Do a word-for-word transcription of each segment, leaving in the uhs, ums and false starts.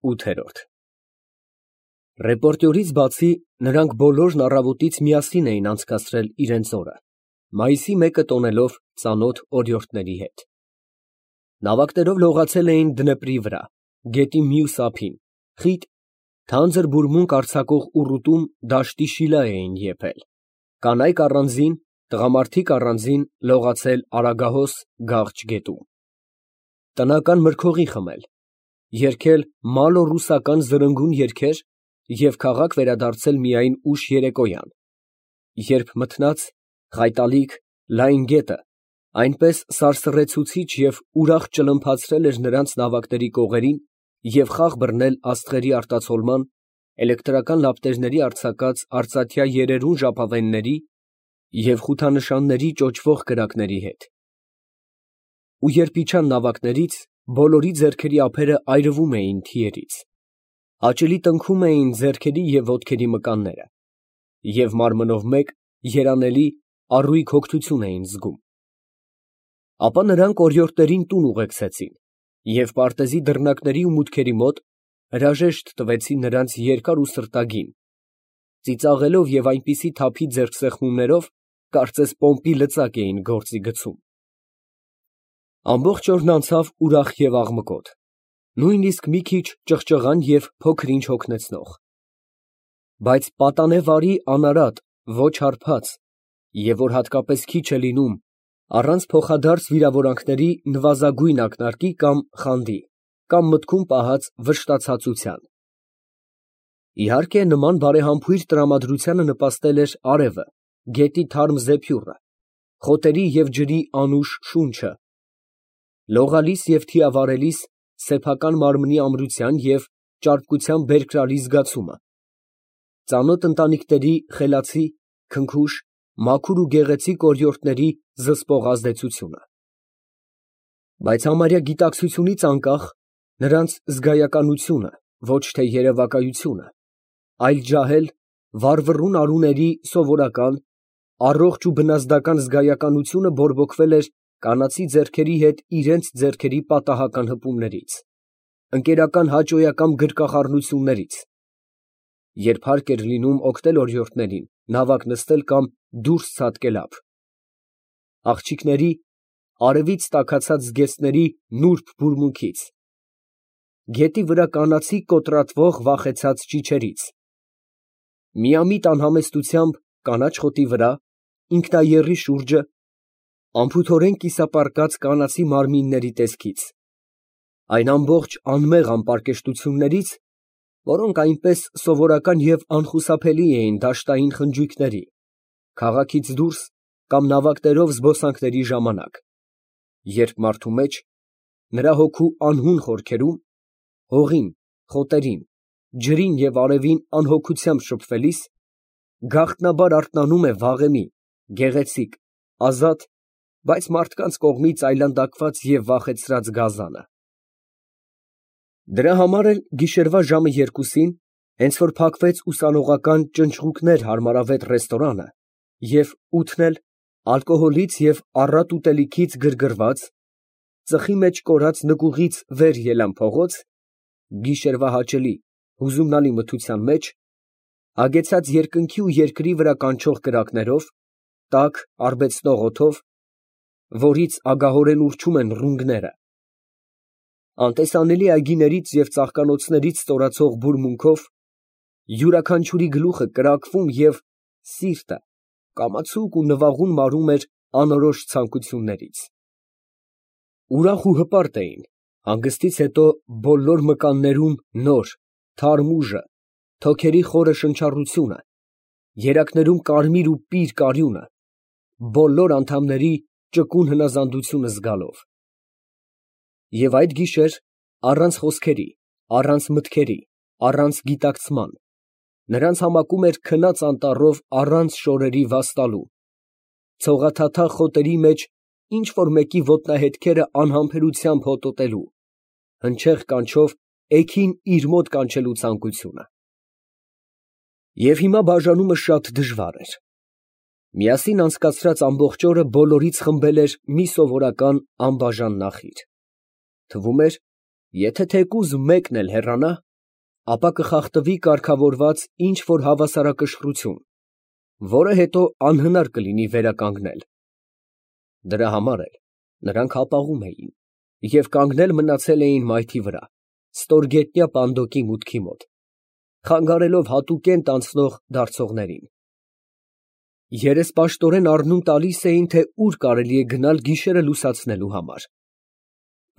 ՈՒԹԵՐՈՐԴ Ռեպորտյորից բացի, նրանք բոլորն առավոտից միասին էին անցկացրել իրենց օրը, մայիսի մեկը տոնելով ծանոթ օրիորդների հետ. նավակներով լողացել էին Դնեպրի վրա, գետի մյուս ափին, խիտ, թանձր բուրմունք արձակող ուռուտում դաշտի շիլա էին եփել, կանայք առանձին, տղամարդիկ առանձին լողացել Արագահոս Գաղջ գետում, տնական մրգօղի խմել, երգել մալոռուսական զրնգուն երգեր և քաղաք վերադարձել միայն ուշ երեկոյան, երբ մթնած, խայտալիք, լայն գետը այնպես սարսռեցուցիչ և ուրախ ճլմփացրել էր նրանց նավակների կողերին և խաղ բռնել աստղերի արտացոլման, էլեկտրական լապտերների արձակած արծաթյա երերուն ժապավենների և խութանշանների ճոճվող կրակների հետ, ու երբ իջան նավակներից, բոլորի ձեռքերի ափերը այրվում էին թիերից, հաճելի տնքում էին ձեռքերի և ոտքերի մկանները, և մարմնով մեկ երանելի առույգ հոգնություն էին զգում, ապա նրանք օրիորդներին տուն ուղեկցեցին և պարտեզի դռնակների ու մուտքերի մոտ հրաժեշտ տվեցին նրանց երկար ու սրտագին, ծիծաղելով և այնպիսի թափի ձեռքսեղմումներով, կարծես պոմպի լծակ էին գործի գցում, ամբողջ օրն անցավ ուրախ և աղմկոտ, նույնիսկ մի քիչ ճղճղան և փոքր ինչ հոգնեցնող, բայց պատանե վարի անարատ, ոչ հարբած, և որ հատկապես քիչ է լինում, առանց փոխադարձ վիրավորանքների նվազագույն ակնարկի կամ խանդի, կամ մտքում պահած վշտացածության, իհարկե նման բարեհամբույր տրամադրությանը նպաստել էր արևը, գետի թարմ զեփյուռը, խոտերի և ջրի անուշ շունչը, լողալիս և թիավարելիս սեփական մարմնի ամրության և ճարպկության բերկրալի զգացումը, ծանոթ ընտանիքների խելացի, քնքուշ, մաքուր ու գեղեցիկ օրիորդների զսպող ազդեցությունը, բայց համարյա գիտակցությունից անկախ, նրանց զգայականությունը, ոչ թե երևակայությունը, այլ ջահել, վառվռուն արուների սովորական, առողջ ու բնազդական զգայականությունը բորբոքվել էր կանացի ձեռքերի հետ իրենց ձեռքերի պատահական հպումներից, ընկերական հաճոյական գրկախառնություններից, երբ հարկ էր լինում օգնել օրիորդներին նավակ նստել կամ դուրս ցատկել ափ, աղջիկների, արևից տաքացած զգեստների նուրբ բուրմունքից, գետի վրա կանացի կոտրատվող վախեցած ճիչերից, միամիտ անհամեստությամբ կանաչ խոտի վրա, ինքնաեռի շուրջը, անփութորեն կիսապառկած կանացի մարմինների տեսքից, այն ամբողջ անմեղ անպարկեշտություններից, որոնք այնպես սովորական և անխուսափելի էին դաշտային խնջույքների, քաղաքից դուրս կամ նավակներով զբոսանքների ժամանակ, երբ մարդու մեջ, նրա հոգու անհուն խորքերում, հողին, խոտերին, ջրին և արևին անհոգությամբ շփվելիս, գաղտնաբար արթնանում է վաղեմի, գեղեցիկ, ազատ, բայց մարդկանց կողմից այլանդակված և վախեցրած գազանը։ Դրա համար էլ գիշերվա ժամը երկուսին, հենց որ փակվեց ուսանողական ճնճղուկներ հարմարավետ ռեստորանը և ութն էլ ալկոհոլից և առատ ուտելիքից գրգռված, ծխի մեջ կորած նկուղից վեր ելան փողոց, գիշերվա հաճելի, հուզումնալի մթության մեջ, հագեցած երկնքի ու երկրի վրա կանչող կրակներով, տաք, արբեցնող օդով, որից ագահորեն ուռչում են ռունգները, անտեսանելի այգիներից և ծաղկանոցներից ստորացող բուրմունքով, յուրաքանչյուրի գլուխը կրակվում և սիրտը կամացուկ ու նվաղուն մարում էր անորոշ ցանկություններից, ուրախ ու հպարտ էին, հանգստից հետո բոլոր մկաններում նոր, թարմ ուժը, թոքերի խորը շնչառությունը, երակներում կարմիր ու պիր կարյունը, բոլոր անդամների ճկուն հնազանդությունը զգալով, և այդ գիշեր, առանց խոսքերի, առանց մտքերի, առանց գիտակցման, նրանց համակում էր քնած անտառով առանց շորերի վաստալու, ցողաթաթախ խոտերի մեջ ինչ֊որ մեկի ոտնահետքերը անհամբերությամբ հոտոտելու, հնչեղ կանչով էգին իր մոտ կանչելու ցանկությունը։ Եվ հիմա բաժանումը շատ դժվար էր. միասին անցկացրած ամբողջ օրը բոլորից խմբել էր մի սովորական անբաժան նախիլ, թվում էր, եթե թեկուզ մեկն էլ հեռանա, ապա կխախտվի կարգավորված ինչ֊որ հավասարակշռություն, որը հետո անհնար կլինի վերականգնել։ Դրա համար էլ նրանք հապաղում էին և կանգնել մնացել էին մայթի վրա, ստորգետնյա պանդոկի մուտքի մոտ, խանգարելով հատուկենտ անցնող դարձողներին։ Երեսպաշտորեն առնում տալիս էին, թե ուր կարելի է գնալ գիշերը լուսացնելու համար։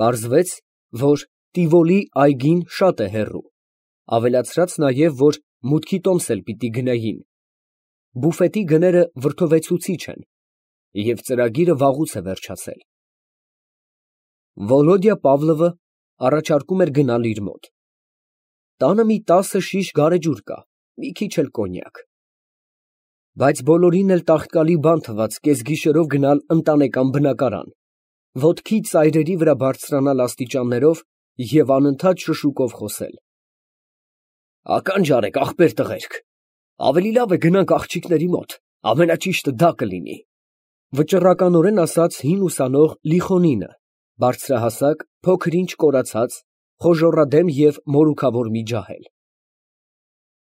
Պարզվեց, որ Տիվոլի այգին շատ է հեռու, ավելացրած նաև, որ մուտքի տոմս էլ պիտի գնեին, բուֆետի գները վրդովեցուցիչ են, և ծրագիրը վաղուց է վերջացել։ Վոլոդյա Պավլովը առաջարկում էր գնալ իր մոտ։ Տանը մի տասը շիշ գարեջուր կա, մի քիչ էլ կոնյակ։ Բայց բոլորին էլ տաղտկալի բան թվաց կեսգիշերով գնալ ընտանեկան բնակարան, ոտքի ծայրերի վրա բարձրանալ աստիճաններով և անընդհատ շշուկով խոսել։ Ականջ արեք, ախպեր տղերք, ավելի լավ է գնանք աղջիկների մոտ, ամենաճիշտը դա կլինի, վճռականորեն ասաց հին ուսանող Լիխոնինը, բարձրահասակ, փոքր-ինչ կորացած, խոժոռադեմ և մորուքավոր մի ջահել։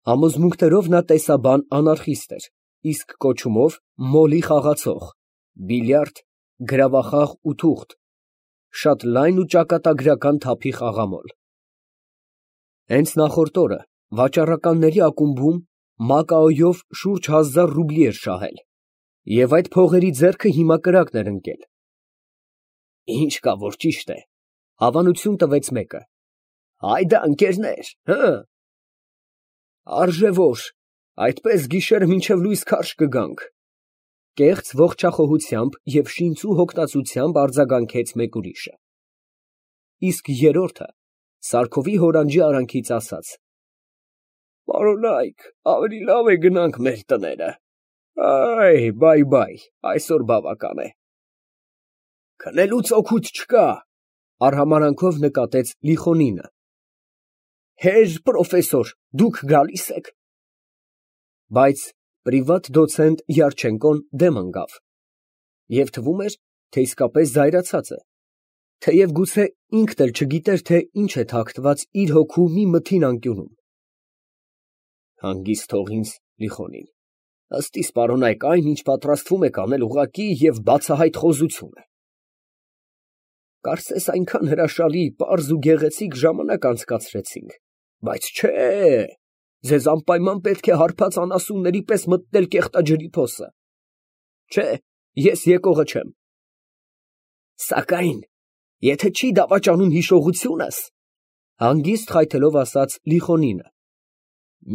Համոզմունքներով նա տեսաբան անարխիստ էր, իսկ կոչումով մոլի խաղացող, բիլիարդ, գրավախաղ ու թուղթ, շատ լայն ու ճակատագրական թափի խաղամոլ։ Հենց նախորդ օրը վաճառականների ակումբում Մակաոյով շուրջ հազար ռուբլի էր շահել, և այդ փողերի ձեռքը հիմա կրակն էր ընկել։ Ինչ կա, որ ճիշտ է, հավանություն տվեց մեկը։ Հայդա, ընկերներ, հը։ Արժե որ, այդպես գիշերը մինչև լույս քարշ կգանք, կեղծ ողջախոհությամբ և շինծու հոգնածությամբ արձագանքեց մեկ ուրիշը։ Իսկ երրորդը Սարքովի հորանջի արանքից ասաց. Պարոնայք, ավելի լավ է գնանք մեր տները, այ, բայ֊բայ, այսօր բավական է։ Քնելուց օգուտ չկա, արհամարանքով նկատեց Լիխոնինը։ Հեր պրոֆեսոր, դուք գալի՞ս եք։ Բայց պրիվատ դոցենտ Յարչենկոն դեմ ընկավ, և թվում էր, թե իսկապես զայրացած է, թեև գուցե ինքն էլ չգիտեր, թե ինչ է թաքնված իր հոգու մի մթին անկյունում։ Հանգիստ թող ինձ, Լիխոնին, ըստ իս պարոնայք այն, ինչ պատրաստվում եք անել, ուղղակի և բացահայտ խոզություն է։ Կարծես այնքան հրաշալի, պարզ ու գեղեցիկ ժամանակ անցկացրեցինք, բայց չէ, ձեզ անպայման պետք է հարբած անասունների պես մտնել կեղտաջրի փոսը։ Չէ, ես եկողը չեմ։ Սակայն, եթե չի դավաճանում հիշողությունս, հանգիստ խայթելով ասաց Լիխոնինը,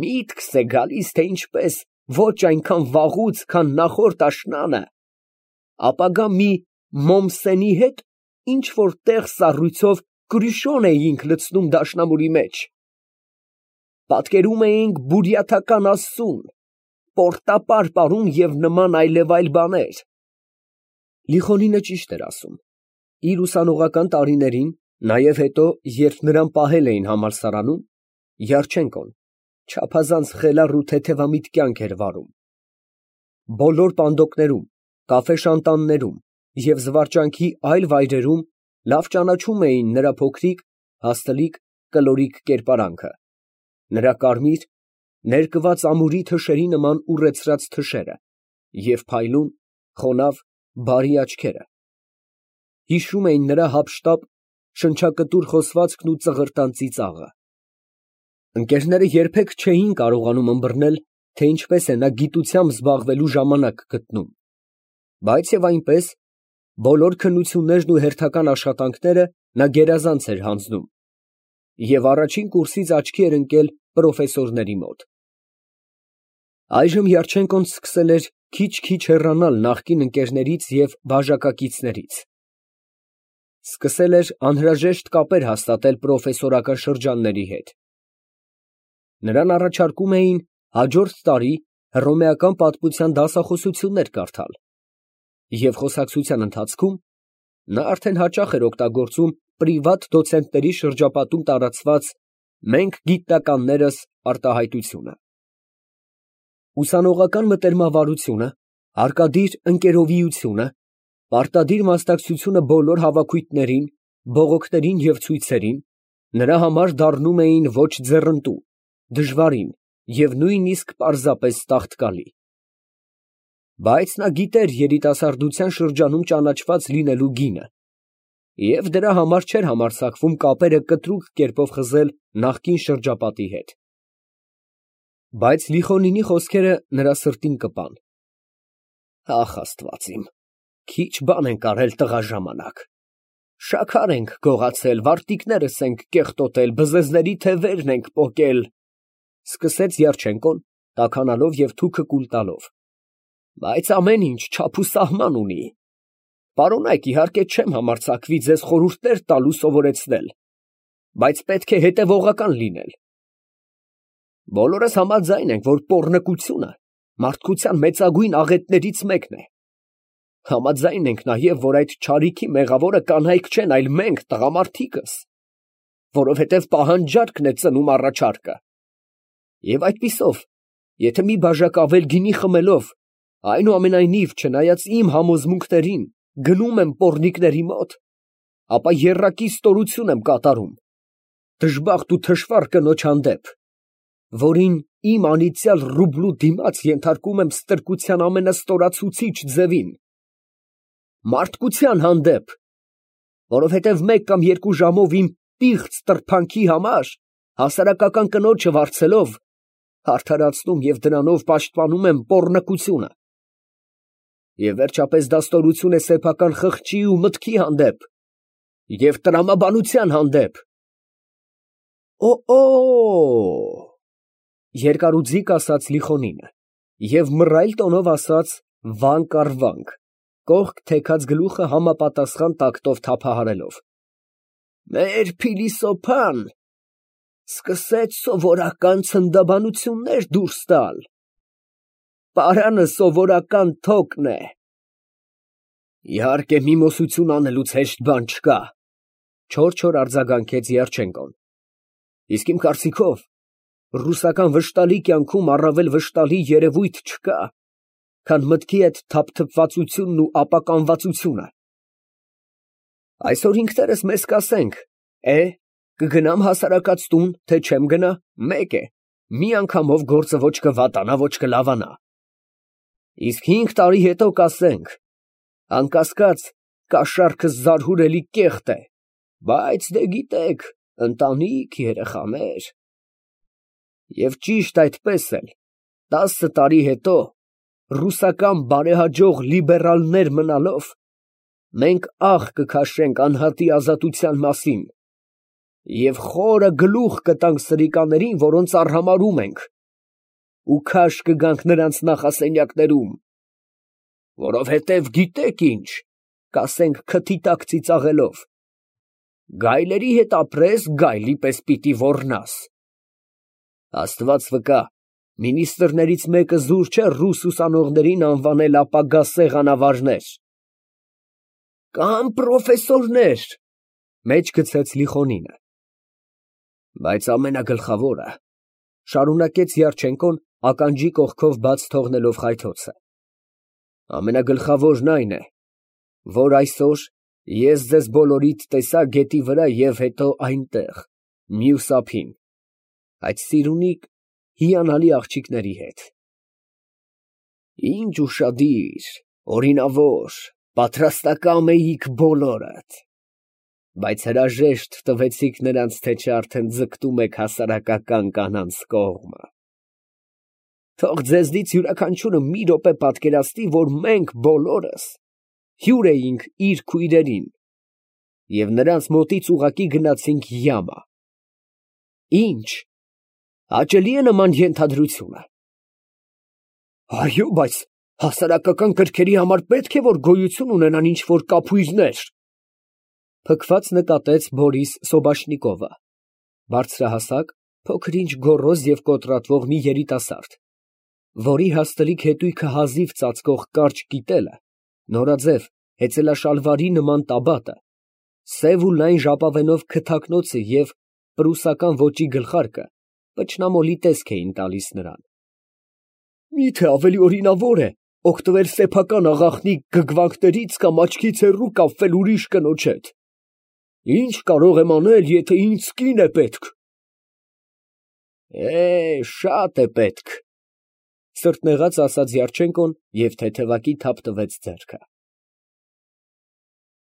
միտքս է գալիս, թե ինչպես ոչ այնքան վաղուց, քան նախորդ աշնանը, ապագա մի Մոմսենի հետ ինչ֊որ տեղ սառույցով կրուշոն էինք լցնում դաշնամուրի մեջ, պատկերում էինք բուրյաթական աստծուն, պորտապար պարում և նման այլև այլ բաներ։ Լիխոնինը ճիշտ էր ասում։ Իր ուսանողական տարիներին, նաև հետո, երբ նրան պահել էին համալսարանում, Յարչենկոն չափազանց խելառ ու թեթևամիտ կյանք էր վարում։ Բոլոր պանդոկներում, կաֆեշանտաններում և զվարճանքի այլ վայրերում լավ ճանաչում էին նրա փոքրիկ, հաստլիկ, կլորիկ կերպարանքը, նրա կարմիր, ներկված ամուրի թշերի նման ուռեցրած թշերը և փայլուն, խոնավ, բարի աչքերը։ Հիշում էին նրա հափշտապ, շնչակտուր խոսվածքն ու ծղրտան ծիծաղը։ Ընկերները երբեք չէին կարողանում ըմբռնել, թե ինչպես է նա գիտությամբ զբաղվելու ժամանակ գտնում, բայց և այնպես, բոլոր քննություններն ու հերթական աշխատանքները նա գերազանց էր հանձնում, և առաջին կուրսից աչքի էր ընկել պրոֆեսորների մոտ։ Այժմ Յարչենկոն սկսել էր քիչ֊քիչ հեռանալ նախկին ընկերներից և բաժակակիցներից, սկսել էր անհրաժեշտ կապեր հաստատել պրոֆեսորական շրջանների հետ։ Նրան առաջարկում էին հաջորդ տարի հռոմեական պատմության դասախոսություններ կարդալ, և խոսակցության ընթացքում նա արդեն հաճախ էր օգտագործում պրիվատ դոցենտների շրջապատում տարածված «մենք գիտնականներս» արտահայտությունը։ Ուսանողական մտերմավարությունը, հարկադիր ընկերովիությունը, պարտադիր մասնակցությունը բոլոր հավաքույթներին, բողոքներին և ցույցերին նրա համար դառնում էին ոչ ձեռնտու, դժվարին և նույնիսկ պարզապես տաղտկալի։ Բայց նա գիտեր երիտասարդության շրջանում ճանաչված լինելու գինը և դրա համար չէր համարձակվում կապերը կտրուկ կերպով խզել նախկին շրջապատի հետ։ Բայց Լիխոնինի խոսքերը նրա սրտին կպան։ Ախ, Աստված իմ, քիչ բան ենք արել տղա ժամանակ, շաքար ենք գողացել, վարտիքներս ենք կեղտոտել, բզեզների թևերն ենք պոկել, ֊ սկսեց Երջենկոն, տաքանալով և թուքը կուլ տալով, ֊ բայց ամեն ինչ չափ ու սահման ունի։ Պարոնայք, իհարկե չեմ համարձակվի ձեզ խորհուրդներ տալ ու սովորեցնել, բայց պետք է հետևողական լինել։ Բոլորս համաձայն ենք, որ պոռնկությունը մարդկության մեծագույն աղետներից մեկն է։ Համաձայն ենք նաև, որ այդ չարիքի մեղավորը կանայք չեն, այլ մենք, տղամարդիկս, որովհետև պահանջարկն է ծնում առաջարկը։ Եվ այդպիսով, եթե մի բաժակ ավել գինի խմելով, այնուամենայնիվ, չնայած իմ համոզմունքներին, գնում եմ պոռնիկների մոտ, ապա եռակի ստորություն եմ կատարում դժբախտ ու թշվառ կնոջ հանդեպ, որին իմ անիծյալ ռուբլու դիմաց ենթարկում եմ ստրկության ամենաստորացուցիչ ձևին, մարդկության հանդեպ, որովհետև մեկ կամ երկու ժամով իմ պիղծ տրփանքի համար հասարակական կնոջը վարձելով, արդարացնում և դրանով պաշտպանում եմ պոռնկությունը, և վերջապես դա ստորություն է սեփական խղճի ու մտքի հանդեպ և տրամաբանության հանդեպ։ Օ՛օ, երկարուձիգ ասաց Լիխոնինը և մռայլ տոնով ասաց վանք առ վանք, կողք թեքած գլուխը համապատասխան տակտով թափահարելով. մեր փիլիսոփան սկսեց սովորական ցնդաբանություններ դուրս տալ, պարանը սովորական թոկն է։ Իհարկե միմոսություն անելուց հեշտ բան չկա, չոր-չոր արձագանքեց Երջենկոն, իսկ իմ կարծիքով, ռուսական վշտալի կյանքում առավել վշտալի երևույթ չկա, քան մտքի այդ թափթփվածությունն ու ապականվածությունը։ Այսօր ինքներս մեզ կասենք, է, կգնամ հասարակած տուն, թե չեմ գնա, մեկ է, մի անգամով գործը ոչ կվատանա, ոչ կլավանա։ Իսկ հինգ տարի հետո կասենք, անկասկած, կաշառքս զարհուրելի կեղտ է, բայց դե գիտեք, ընտանիք, երեխաներ… Եվ ճիշտ այդպես էլ, տասը տարի հետո, ռուսական բարեհաջող լիբերալներ մնալով, մենք աղ կքաշենք անհատի ազատության մասին և խորը գլուխ կտանք սրիկաներին, որոնց արհամարհում ենք, ու քաշ կգանք նրանց նախասենյակներում, որովհետև գիտեք ինչ, կասենք քթի տակ ծիծաղելով, գայլերի հետ ապրես, գայլի պես պիտի ոռնաս։ Աստված վկա, մինիստրներից մեկը զուր չէ ռուս ուսանողներին անվանել ապագա սեղանավարներ։ Կամ պրոֆեսորներ, մեջ գցեց Լիխոնինը։ Բայց ամենագլխավորը, շարունակեց Երջենկոն ականջի կողքով բաց թողնելով խայթոցը, ամենագլխավորն այն է, որ այսօր ես ձեզ բոլորիդ տեսա գետի վրա և հետո այնտեղ, մյուս ափին, այդ սիրունիկ հիանալի աղջիկների հետ։ Ինչ ուշադիր, օրինավոր, պատրաստակամ էիք բոլորդ, բայց հրաժեշտ տվեցիք նրանց, թե չէ արդեն ձգտում եք հասարակական կանանց կողմը։ Թող ձեզնից յուրաքանչյուրը մի րոպե պատկերացնի, որ մենք բոլորս հյուր էինք իր քույրերին և նրանց մոտից ուղղակի գնացինք յամա։ Ինչ, հաճելի է նման ենթադրությունը։ Այո, բայց հասարակական կրքերի համար պետք է, որ գոյություն ունենան ինչ֊որ կափույրներ, փքված նկատեց Բորիս Սոբաշնիկովը, բարձրահասակ, փոքր-ինչ գոռոզ և կոտրատվող մի երիտասարդ, որի հաստլիկ հետույքը հազիվ ծածկող կարճ կիտելը, նորաձև հեծելաշալվարի նման տաբատը, սև ու լայն ժապավենով քթակնոցը և պրուսական ոճի գլխարկը պճնամոլի տեսք էին տալիս նրան։ Մի՞թե ավելի օրինավոր է օգտվել սեփական աղախնի գգվանքներից կամ աչքից հեռու կապվել ուրիշ կնոջ հետ։ Ինչ կարող եմ անել, եթե ինձ կին է պետք։ Է, շատ է պետք, սրտնեղած ասաց Դյարչենկոն և թեթևակի թափ տվեց ձեռքը։